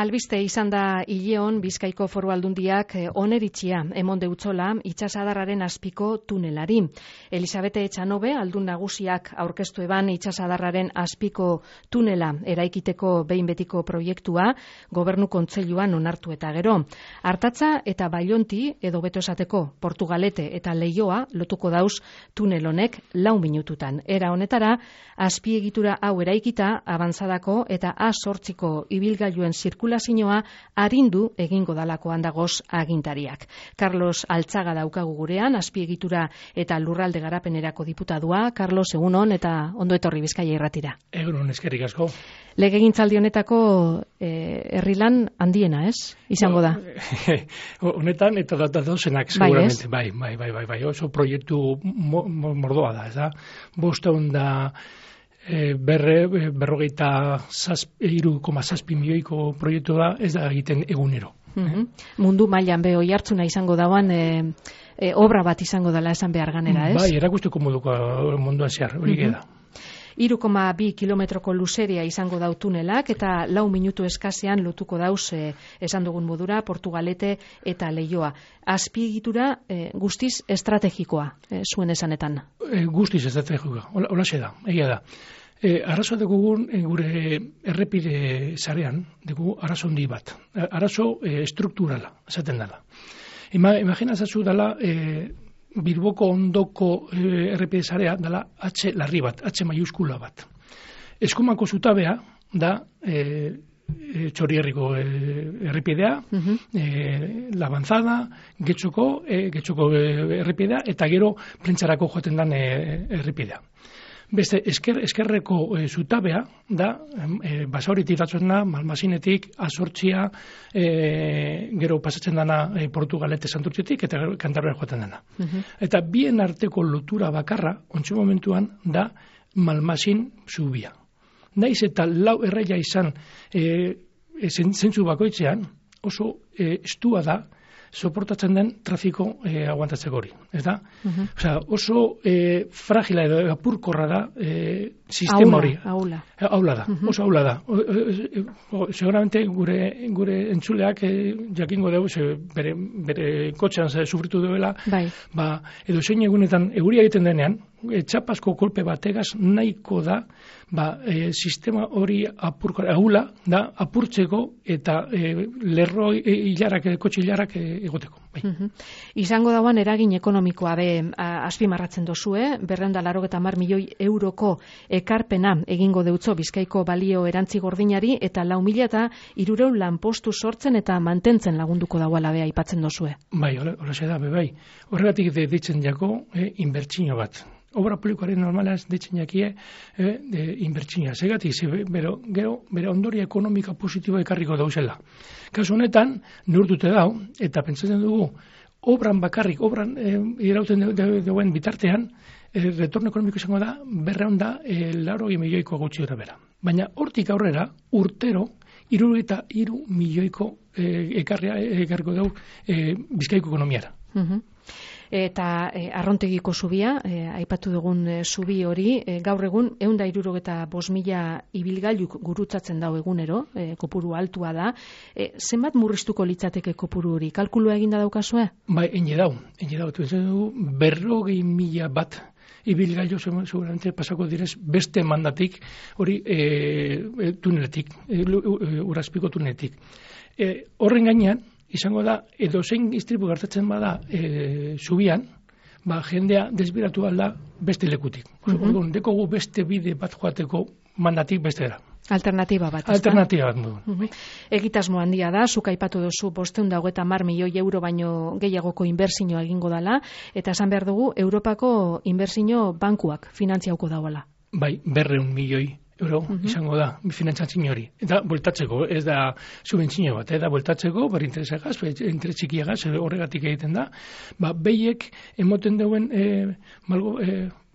Albiste izan da hileon Bizkaiko Foru Aldundiak oneritzia emon deutzola itsasadarraren azpiko tunelari. Elisabete Etxanobe aldun nagusiak aurkeztu eban itsasadarraren azpiko tunela eraikiteko behin betiko proiektua Gobernu Kontseiluan onartu eta gero. Artatza eta Bailonti edo beto esateko Portugalete eta Leioa lotuko dauz tunel honek 4 minututan. Era honetara azpiegitura hau eraikita abantzadako eta A8ko ibilgailuen zirkulazioa arindu egingo dalakoan dagoz agintariak. Carlos Altzaga daukagu gurean, azpiegitura eta lurralde garapenerako diputadua. Carlos, egunon eta ondo etorri Bizkaia irratira. Egunon, eskerrik asko. Legegintzaldi honetako herrilan handiena, ez? Izango da. Honetan eta datozenak, seguramente. Bai. Oso proiektu mordoa da, ez da? 500 3,7 milioiko proiektu da, ez da egiten egunero. Mundu mailan be oihartzuna izango dauan obra bat izango dela esan behar ganera, ez? Bai, erakusteko moduko munduan zehar, hori da. 3,2 kilometroko luzeria izango dau tunelak eta 4 minutu eskasean lotuko dauz esan dugun modura Portugalete eta Leioa. Azpiegitura guztiz estrategikoa zuen esanetan. Guztiz estrategikoa, holaxe da, egia da. Arazo dugun gure errepide sarean, dugu arazo handi bat. Arazo strukturala, esaten dela. Imaginazatzu dela Bilboko ondoko errepide sarea dela H larri bat, H maiuskula bat. Eskumako zutabea da Txorierriko errepidea, La Avanzada, Getxoko errepidea eta gero Plentzarako joaten den errepidea. Beste, eskerreko zutabea da, Basauritik datzen da, Malmasinetik, A8, gero pasatzen dana Portugalete Santurtzetik, eta Kantabrian joaten dana. Eta bien arteko lotura bakarra, ontsu momentuan, da Malmasin zubia. Naiz eta lau erraia izan zentzu bakoitzean, oso estua da, soportatzen den trafiko aguantatzeko hori, ez da? Oso fragila edo apurkorra da sistema hori. Aula da, oso aula da. Seguramente gure entzuleak jakingo dugu, bere kotxean sufritu duela, edo zein egunetan euria egiten denean, txapasko kolpe bategaz nahiko da sistema hori aula da apurtzeko eta lerro hilarak, kotxe hilarak egoteko. Izango dauan eragin ekonomikoa azpimarratzen dozue, 280 milioi euroko ekarpena egingo deutzo Bizkaiko balio erantzi gordinari eta 4.300 lanpostu sortzen eta mantentzen lagunduko dauala aipatzen dozue. Bai, hori da, bai. Horregatik deitzen jako inbertsio bat. Obra publikoaren normalaz deitzen jakie inbertsioa. Segatik, gero bere ondoria ekonomika positiboa ekarriko dauzela. Kasu honetan, neurtute dau, eta pentsatzen dugu, obran irauten duen bitartean, retorno ekonomiko izango da, 280 milioiko gutxi gara bera. Baina hortik aurrera, urtero, 63 milioiko ekarriko dau Bizkaiko ekonomiara. Eta Arrontegiko zubia, aipatu dugun zubi hori, gaur egun 165.000 ibilgailuk gurutzatzen dau egunero, kopuru altua da. Zenbat murriztuko litzateke kopuru hori? Kalkulua eginda daukazue? Bai, ene dau. 40.000 bat ibilgailu seguramente pasako direz beste mandatik hori tuneletik, urazpiko tuneletik. Horren gainean, izango da, edo zein istripu gertatzen bada zubian, jendea desbiratu alda beste lekutik. Dekogu beste bide bat joateko mandatik bestera. Alternatiba bat. Alternatiba bat. Egitasmo handia da, zuk aipatu duzu 530 milioi euro baino gehiagoko inbertsioa egingo dala, eta esan behar dugu, Europako inbertsio bankuak finantziauko dauala. Bai, 200 milioi euro izango da, finantzatzin hori. Eta bueltatzeko, ez da subentzio bat, da bueltatzeko, interesegaz, interes txikiagaz, horregatik egiten da, behiek emoten duen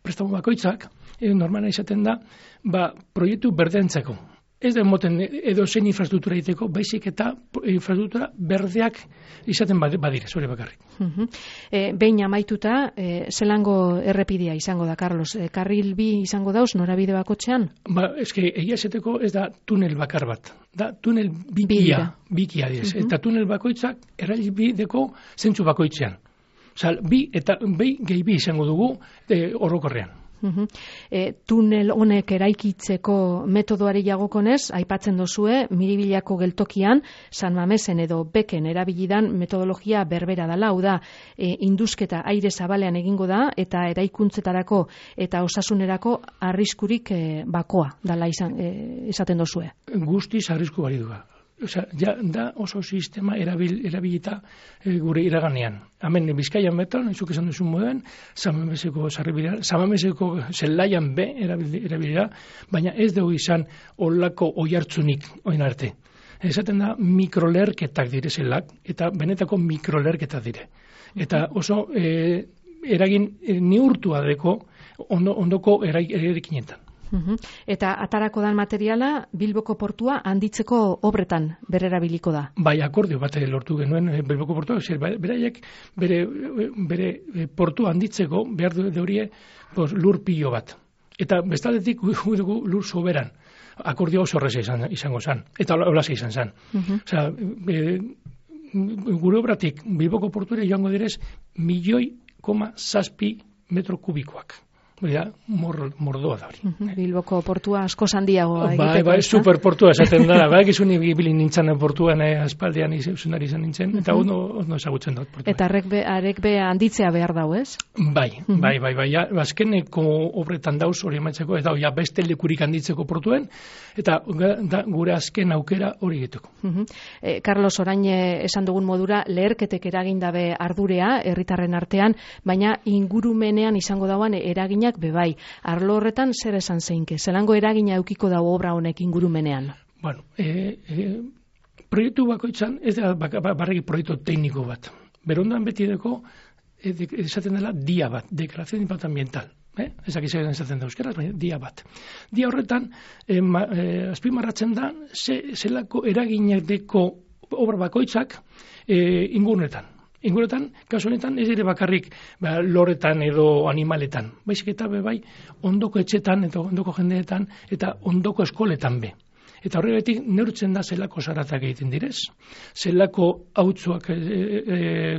prestamo bakoitzak, normala izaten da, proiektu berdentzeko. ez da emoten edo zein infrastruktura egiteko, baizik eta infrastruktura berdeak izaten badire, zure bakarrik. Behin amaituta, zelango errepidea izango da, Carlos? Karril bi izango dauz, norabide bakotxean? Eske, egia esateko ez da tunel bakar bat. Da tunel bikia direz. Eta tunel bakoitzak erabideko zentzu bakoitzean. Osea, bi gehi bi izango dugu orokorrean. Tunel honek eraikitzeko metodoari jagokonez, aipatzen dozue, Miribilako geltokian, San Mamesen edo Beken erabilidan metodologia berbera dela, hau da, indusketa aire zabalean egingo da, eta eraikuntzetarako eta osasunerako arriskurik bakoa dela esaten dozue. Guztiz arrisku bari duga. Osea, da oso sistema erabilita gure iraganean. Hemen Bizkaian beton, zuk esan duzun moden, Samameseko zelaian be erabilira, baina ez dugu izan olako oihartzunik oin arte. Esaten da mikrolerketak dire zelak, eta benetako mikrolerketak dire. Eta oso eragin neurtua deko ondoko eraikinetan. Eta atarako dan materiala Bilboko portua handitzeko obretan bererabiliko da. Bai, akordio bat lortu genuen Bilboko portua, beraiek bere portua handitzeko behar du horie lur pilo bat. Eta bestaldetik dugu lur soberan. Akordio oso horreza izango zen. Eta holasa izan zen. Osea, gure obratik Bilboko portuare joango direz 1,7 metro kubikoak. Mordoa da hori. Bilboko portua asko handiagoa egiteko. Bai, superportua esaten da. Bai, gizun ibili nintzen portuan aspaldian izunari izan nintzen, eta ondo ezagutzen dut portua. Eta arek be handitzea behar dau, ez? Bai. Azkeneko obretan dauz hori emaitzeko, eta beste lekurik handitzeko portuen, eta gure azken aukera hori egiteko. Carlos, orain esan dugun modura, leherketek eragindabe ardurea, herritarren artean, baina ingurumenean izango dauan eraginak bebai. Arlo horretan zer esan zeinke? Zelango eragina eukiko dago obra honek ingurumenean? Bueno, proiektu bakoitzan, ez da barregi proiektu tekniko bat. Berondan beti deko, esaten dela dia bat, deklarazione de impacto ambiental. Ezak izan esaten da euskeraz, baina dia bat. Dia horretan, azpimarratzen da, zelako eraginak deko obra bakoitzak ingurunetan. Ingurunetan, kasu honetan, ez ere bakarrik loretan edo animaletan. Baizik eta bai ondoko etxetan, eta ondoko jendeetan, eta ondoko eskoletan be. Eta horregatik neurtzen da zelako zaratak egiten direz, zelako hautzuak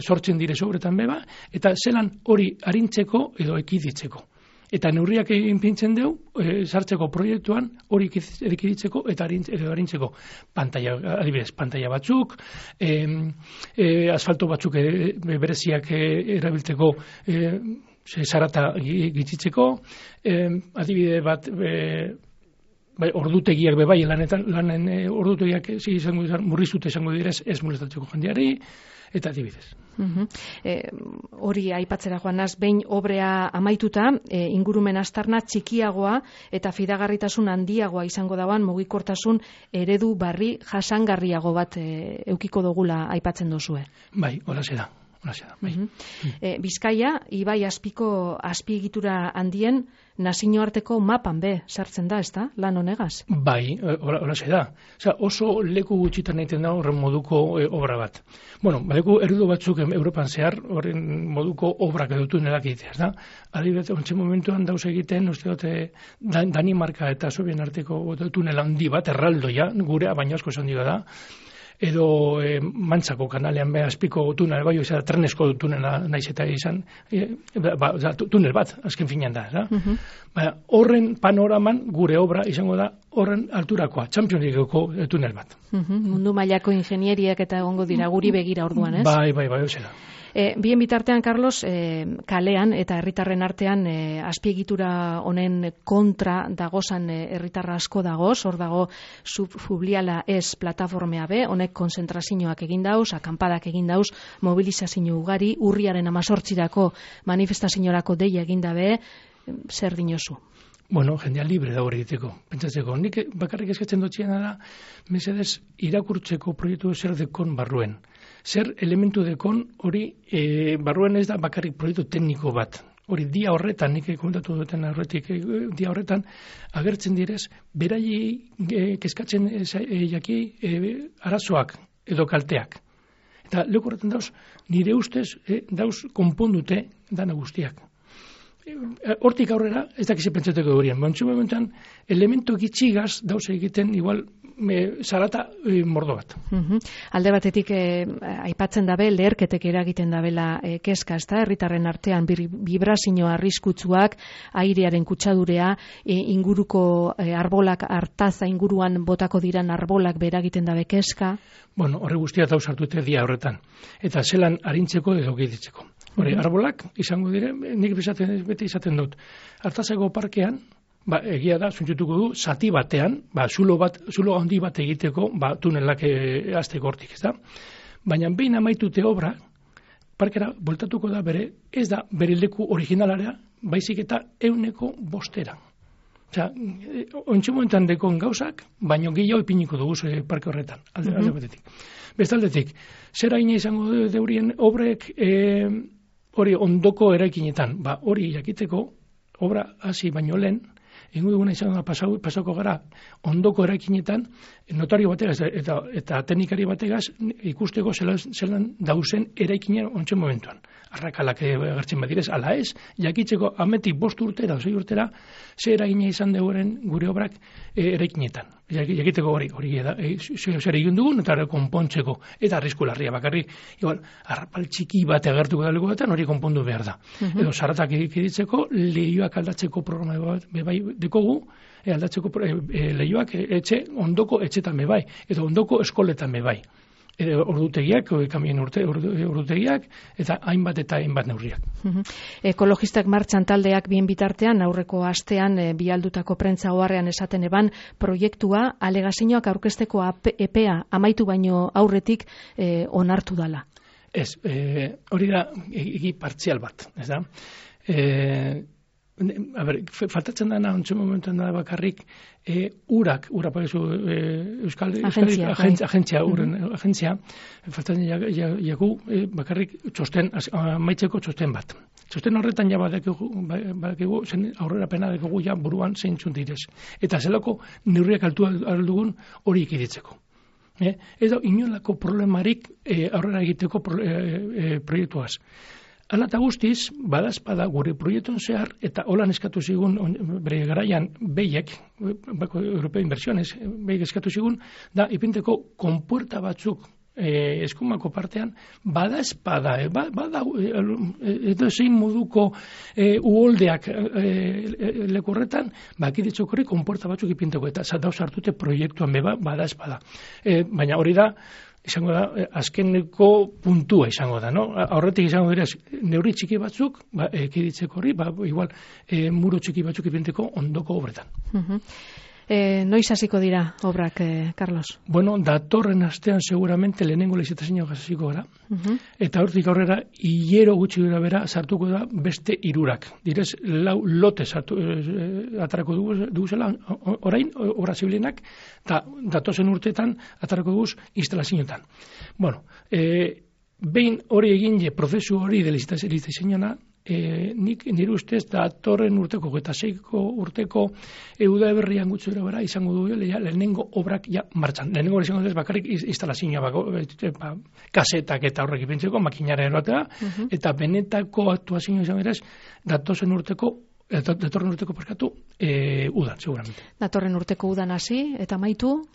sortzen direz obretan beba, eta zelan hori arintzeko edo ekiditzeko. Eta neurriak pintzen dugu, sartzeko proiektuan hori ekiditzeko eta arintzeko. Adibidez, pantalla batzuk, asfalto batzuk bereziak erabiltzeko zarata gitzitzeko, adibide bat, ordutegiak bebai, lanen ordutegiak murriztute izango direz ez molestatzeko jendeari, eta adibidez. Hori aipatzera joanaz, behin obrea amaituta, ingurumen aztarna txikiagoa eta fidagarritasun handiagoa izango dauan mugikortasun eredu barri jasangarriago bat eukiko dugula aipatzen duzue. Bai, holaxe da. Bai. Bizkaia, ibai azpiko azpiegitura handien nazioarteko mapan be sartzen da, ezta? Lan honegaz? Bai, holaxe da. Oso leku gutxitan egiten da horren moduko obra bat. Bueno, leku erudu batzuk Europan zehar horren moduko obrak edo tunelak egitea, da? Adibidez, ontsi momentuan dauz egiten, uste dute, Danimarka eta Sobien arteko tunel handi bat, erraldoia, gurea, baina asko esan diga da, edo Mantzako kanalean beha azpiko tunel, bai, oza, trenesko tunela naiz eta izan, tunel bat, azken finean da. Horren panoraman gure obra izango da horren alturakoa, Champions Leagueko tunel bat. Mundu mailako ingenieriak eta egongo dira guri begira orduan, ez? Bai, oza da. Bien bitartean, Carlos, kalean eta herritarren artean azpiegitura honen kontra dagozan herritarra asko dagoz, hor dago Subfubliala ez plataformea be, honek konzentrazioak egin dauz, akanpadak egin dauz, mobilizazio ugari, urriaren 18irako manifestaziorako deia egin dabe, zer dinozu? Bueno, jendea libre da hori egiteko, pentsatzeko. Nik bakarrik eskatzen dutxean da, mesedez irakurtzeko proiektu zer dekon barruen. Zer elementu dekon hori barruen ez da bakarrik proiektu tekniko bat. hori dia horretan, nik komentatu duten horretik, dia horretan, agertzen direz, beraiei kezkatzen jaki arazoak edo kalteak. Eta leku horretan dauz, nire ustez, dauz konpondute dana guztiak. Hortik aurrera, ez dakize pentsateko horien. Bantzu momentan, elementu gitxigaz dauz egiten, igual, zarata mordo bat. Alde batetik aipatzen dabe, leherketek eragiten dabela kezka, ez da, herritarren artean vibrazio arriskutsuak, airearen kutsadurea, inguruko arbolak, hartaza inguruan botako diran arbolak beragiten dabe kezka. Bueno, horre guztia dauz hartute dia horretan. Eta zelan arintzeko edo giditzeko. Hore, arbolak izango dire, nik beti izaten dut. Hartazeko parkean, egia da, zuntzutuko du, zati batean, zulo handi bat egiteko, tunelak azteko hortik, ez da? Baina behin amaitute obra, parkera voltatuko da ez da bere leku originalarea, baizik eta 100%. Osea, ontsu momentan dekon gauzak, baino gehiago ipiniko dugu parke horretan, alde batetik. Bestaldetik, zer haina izango deurien obrek hori ondoko eraikinetan, hori jakiteko obra hasi baino lehen, ingo duguna izan da pasako gara ondoko eraikinetan, notario bategaz eta teknikari bategaz ikusteko zelan dauzen eraikinen ontsen momentuan. Arrakalak agertzen badirez, ala ez, jakitzeko ametik 5 urtera, 6 urtera, ze eragina izan deuren gure obrak eraikinetan. Jakiteko hori da, zer egin dugun, eta konpontzeko, eta arrisku larria bakarrik, igual, arrapal txiki bat agertuko da legoetan, hori konpondu behar da. Edo zaratak egitzeko, lehioak aldatzeko programa bebai dekogu, aldatzeko lehioak ondoko etxetan bebai, edo ondoko eskoletan bebai. Ordutegiak, kamien ordutegiak, eta hainbat neurriak. Ekologistak martxan taldeak bien bitartean, aurreko astean bialdutako prentza oharrean esaten eban, proiektua alegazioak aurkezteko epea amaitu baino aurretik onartu dala. Ez, hori da egi partzial bat, ez da? Faltatzen dana, ontsu momentuan da bakarrik, ura pagizu Euskal Agentzia, faltatzen jagu bakarrik maitzeko txosten bat. Txosten horretan ja badakigu, aurrera pena dakigu ja buruan zeintzun direz. Eta zelako neurriak altu aldugun hori ikiditzeko. Edo inolako problemarik aurrera egiteko proiektuaz. Hala eta guztiz, badazpada gure proiektuen zehar, eta holan eskatu zigun, bere garaian behiek, Europeo Inversiones, behiek eskatu zigun, da ipinteko konpuerta batzuk eskumako partean, badazpada, edo zein moduko uholdeak lekorretan, bakiditzokori konpuerta batzuk ipinteko, eta dauz hartute proiektuan badazpada. Baina hori da, izango da, azkeneko puntua izango da, no? Aurretik izango dira, neurri txiki batzuk, ekiditzeko hori, igual, muro txiki batzuk ipinteko ondoko obretan. Noiz hasiko dira obrak, Carlos? Bueno, datorren astean seguramente lehenengo lizitazioa hasiko gara, eta hortik aurrera, hilero gutxi dira bera, sartuko da beste 3. Direz, 4 lote atarako duguzela, orain, obra zibilenak, eta datozen urteetan atarako duguz instalazioetan. Bueno, behin hori egin prozesu hori de lizitazioa, nik nire ustez datorren urteko eta 6 urteko Uda Berrian gutxi bera izango du lehenengo obrak ja martxan. Lehenengo hori izango duz bakarrik instalazioa kasetak eta horrek ipintzeko makinara eroatea, eta benetako aktuazioa izango dira datorren urteko parkatu udan, seguramente. Datorren urteko udan hasi, eta maitu?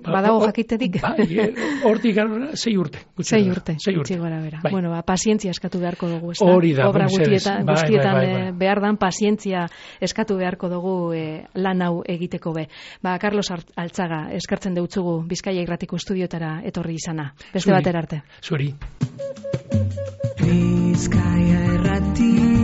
Badago jakitetik? Hortik 6 urte. 6 urte, gutxi gara bera. Bueno, pazientzia eskatu beharko dugu, ez da? Hori da, obra guztietan behar dan, pazientzia eskatu beharko dugu lan hau egiteko be. Carlos Altzaga, eskartzen deutzugu Bizkaia Irratiko Estudiotara etorri izana. Beste batera arte. Zuri. Bizkaia Irrati